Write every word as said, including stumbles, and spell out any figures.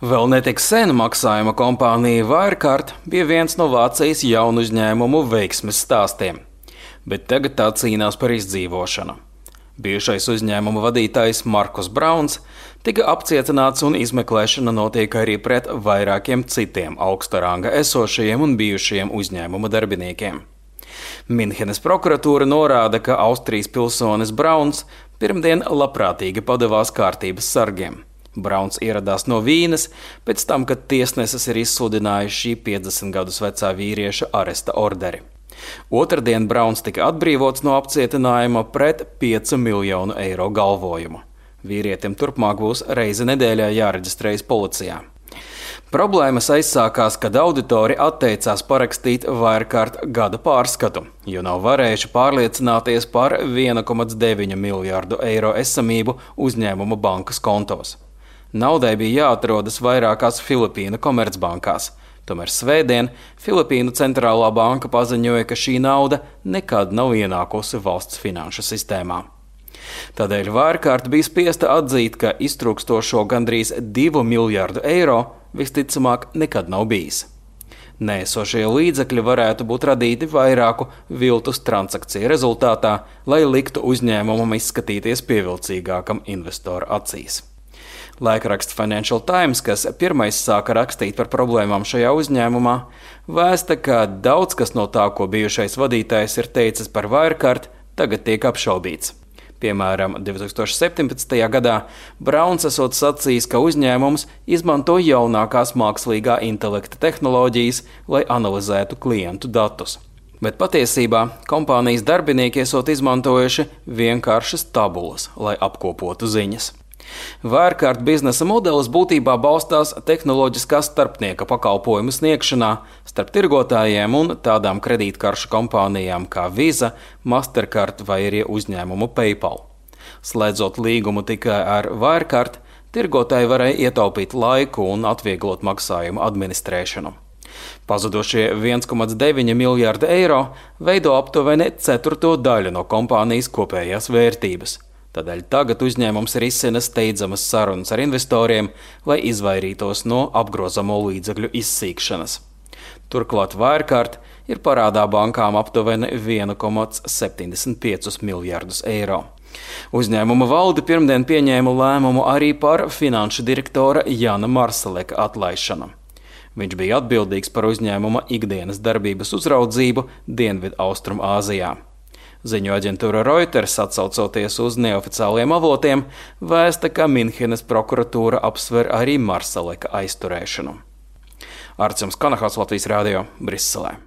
Vēl netik sen maksājuma kompānija Wirecard bija viens no Vācijas jaunu uzņēmumu veiksmes stāstiem, bet tagad tā cīnās par izdzīvošanu. Bijušais uzņēmuma vadītājs Markus Brauns tika apcietināts un izmeklēšana notiek arī pret vairākiem citiem augsta ranga esošajiem un bijušajiem uzņēmuma darbiniekiem. Minhenes prokuratūra norāda, ka Austrijas pilsonis Brauns pirmdien labprātīgi padevās kārtības sargiem. Brauns ieradās no Vīnes pēc tam, kad tiesneses ir izsludinājuši šī piecdesmit gadus vecā vīrieša aresta orderi. Otrdien Brauns tika atbrīvots no apcietinājuma pret piecu miljonu eiro galvojumu. Vīrietim turpmāk būs reizi nedēļā jāreģistrējas policijā. Problēmas aizsākās, kad auditori atteicās parakstīt Wirecard gada pārskatu, jo nav varējuši pārliecināties par viena komā deviņi miljārdu eiro esamību uzņēmuma bankas kontos. Naudai bija jāatrodas vairākās Filipīnu komercbankās. Tomēr svētdien Filipīnu centrālā banka paziņoja, ka šī nauda nekad nav ienākusi valsts finanšu sistēmā. Tādēļ Wirecard bija spiesta atzīt, ka iztrūkstošo gandrīz divu miljārdu eiro visticamāk nekad nav bijis. Neesošie līdzekļi varētu būt radīti vairāku viltus transakciju rezultātā, lai liktu uzņēmumam izskatīties pievilcīgākam investoru acīs. Laikraksts Financial Times, kas pirmais sāka rakstīt par problēmām šajā uzņēmumā, vēsta, ka daudz kas no tā, ko bijušais vadītājs ir teicis par Wirecard, tagad tiek apšaubīts. Piemēram, divi tūkstoši septiņpadsmitajā gadā Brauns esot sacījis, ka uzņēmums izmanto jaunākās mākslīgā intelekta tehnoloģijas, lai analizētu klientu datus. Bet patiesībā kompānijas darbinieki esot izmantojuši vienkāršas tabulas, lai apkopotu ziņas. Wirecard biznesa modelis būtībā balstās tehnoloģiskā starpnieka pakalpojumu sniegšanā starp tirgotājiem un tādām kredītkaršu kompānijām kā Visa, Mastercard vai arī uzņēmumu PayPal. Slēdzot līgumu tikai ar Wirecard, tirgotāji varēja ietaupīt laiku un atvieglot maksājumu administrēšanu. Pazudušie viens komā deviņi miljārdi eiro veido aptuveni ceturto daļu no kompānijas kopējās vērtības. Tādēļ tagad uzņēmums risina steidzamas sarunas ar investoriem, lai izvairītos no apgrozamo līdzekļu izsīkšanas. Turklāt Wirecard ir parādā bankām aptuveni viena komā septiņdesmit piecus miljārdus eiro. Uzņēmuma valde pirmdien pieņēma lēmumu arī par finanšu direktora Jana Marsaleka atlaišanu. Viņš bija atbildīgs par uzņēmuma ikdienas darbības uzraudzību Dienvidu Austrumu Āzijā. Ziņu aģentūra Reuters, atsaucoties uz neoficiāliem avotiem, vēsta, ka Minhenes prokuratūra apsver arī Marsaleka aizturēšanu. Arts Kanahāts, Latvijas radio, Briselē.